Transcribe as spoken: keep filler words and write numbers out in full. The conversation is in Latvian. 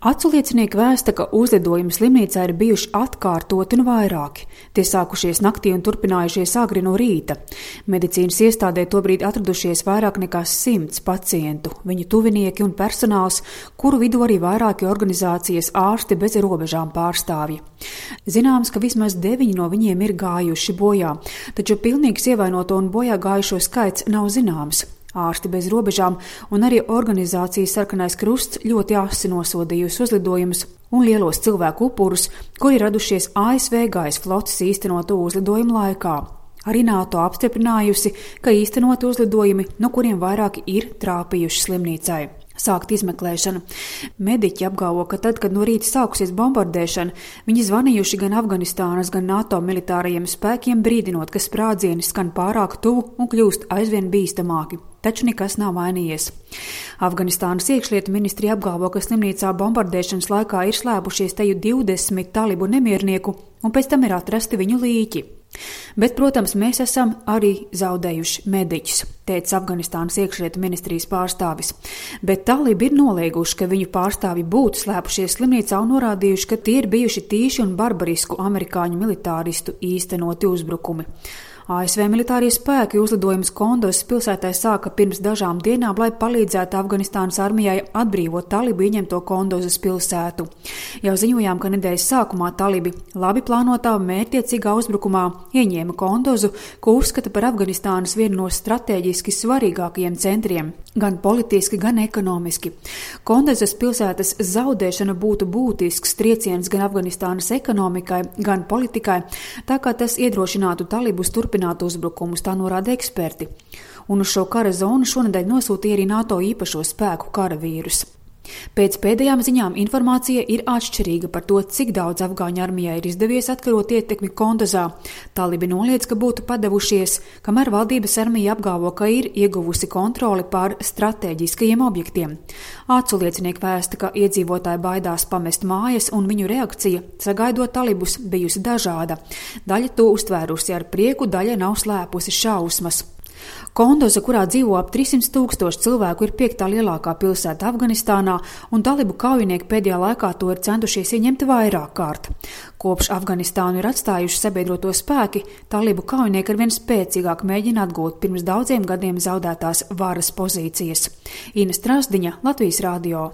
Acu liecinieki vēsta, ka uzlidojumi slimnīcā ir bijuši atkārtoti un vairāki. Tie sākušies naktī un turpinājušies agri no rīta. Medicīnas iestādē tobrīd atradušies vairāk nekā simts pacientu, viņu tuvinieki un personāls, kuru vidū arī vairāki organizācijas Ārsti bez robežām pārstāvji. Zināms, ka vismaz deviņi no viņiem ir gājuši bojā, taču pilnīgs ievainoto un bojā gājušo skaits nav zināms. Ārsti bez robežām un arī organizācijas Sarkanais krusts ļoti asi nosodījusi uzlidojumus un lielos cilvēku upurus, kuri radušies A S V gaisa flotes īstenotu uzlidojumu laikā. Arī NATO apstiprinājusi, ka īstenoti uzlidojumi, no kuriem vairāki ir trāpījuši slimnīcai. Sākt izmeklēšanu. Mediķi apgalvo, ka tad, kad no rīta sākusies bombardēšana, viņi zvanījuši gan Afganistānas, gan NATO militārajiem spēkiem, brīdinot, ka sprādzieni skan pārāk tuvu un kļūst aizvien bīstamāki. Taču nekas nav mainījies. Afganistānas iekšlietu ministrija apgalvo, ka slimnīcā bombardēšanas laikā ir slēpušies teju divdesmit talibu nemiernieku un pēc tam ir atrasti viņu līķi. Bet, protams, mēs esam arī zaudējuši mediķus, teica Afganistānas iekšlietu ministrijas pārstāvis. Bet talibi ir nolieguši, ka viņu pārstāvi būtu slēpušies slimnīcā un norādījuši, ka tie ir bijuši tīši un barbarisku amerikāņu militāristu īstenoti uzbrukumi. A S V militārie spēki uzlidojumus Kondozas pilsētā sāka pirms dažām dienām, lai palīdzētu Afganistānas armijai atbrīvot talibu ieņemto Kondozas pilsētu. Jau ziņojām, ka nedēļas sākumā talibi labi plānotā mērķtiecīgā uzbrukumā ieņēma Kondozu, ko uzskata par Afganistānas vienu no strateģiski svarīgākajiem centriem, gan politiski, gan ekonomiski. Kondozas pilsētas zaudēšana būtu būtisks trieciens gan Afganistānas ekonomikai, gan politikai, tā kā tas iedrošinātu talibus turpināt uzbrukumus, tā norāda eksperti. Un uz šo kara zonu šonedēļ nosūtīja arī NATO īpašo spēku karavīrus. Pēc pēdējām ziņām informācija ir atšķirīga par to, cik daudz afgāņu armijai ir izdevies atkarot ietekmi Kondozā. Talibi noliedz, ka būtu padavušies, kamēr valdības armija apgalvo, ka ir ieguvusi kontroli pār stratēģiskajiem objektiem. Acu liecinieki vēsta, ka iedzīvotāji baidās pamest mājas un viņu reakcija, sagaidot talibus, bijusi dažāda. Daļa to uztvērusi ar prieku, daļa nav slēpusi šausmas. Kondoza, kurā dzīvo ap trīssimt tūkstoši cilvēku, ir piektā lielākā pilsēta Afganistānā, un talibu kaujinieki pēdējā laikā to ir centušies ieņemt vairāk kārt. Kopš Afganistānu ir atstājuši sabiedroto spēki, talibu kaujinieki arvien spēcīgāk mēģina atgūt pirms daudziem gadiem zaudētās varas pozīcijas. Ina Strasdiņa, Latvijas radio.